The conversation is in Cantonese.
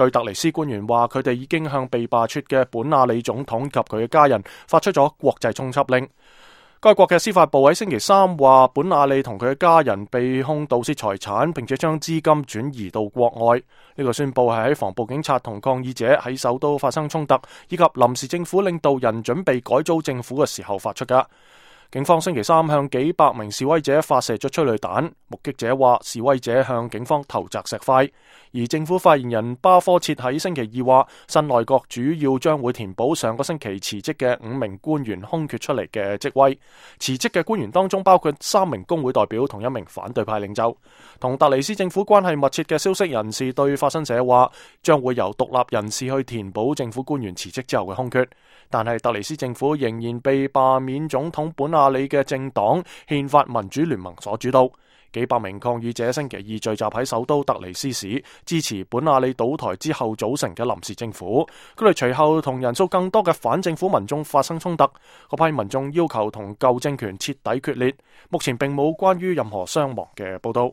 據特尼斯官員話，佢哋已經向被罷黜嘅本阿里總統及佢嘅家人發出咗國際通緝令。該國嘅司法部喺星期三話，本阿里同佢嘅家人被控盜竊財產，並且將資金轉移到國外。呢個宣布係喺防暴警察同抗議者喺首都發生衝突，以及臨時政府領導人準備改組政府嘅時候發出㗎。警方星期三向幾百名示威者發射咗催淚彈，目擊者話示威者向警方投擲石塊。而政府發言人巴科切喺星期二話，新內閣主要將會填補上個星期辭職嘅5名官員空缺出嚟嘅職位。辭職嘅官員當中包括3名工會代表同1名反對派領袖。同特尼斯政府關係密切嘅消息人士對法新社話，將會由獨立人士去填補政府官員辭職之後嘅空缺。但係特尼斯政府仍然被罷免總統本阿里嘅政黨憲法民主聯盟所主導。幾百名抗議者星期二聚集喺首都特尼斯市，支持本阿里倒台之後組成嘅臨時政府。佢哋隨後同人數更多嘅反政府民眾發生衝突，嗰批民眾要求同舊政權徹底決裂。目前並冇關於任何傷亡嘅報道。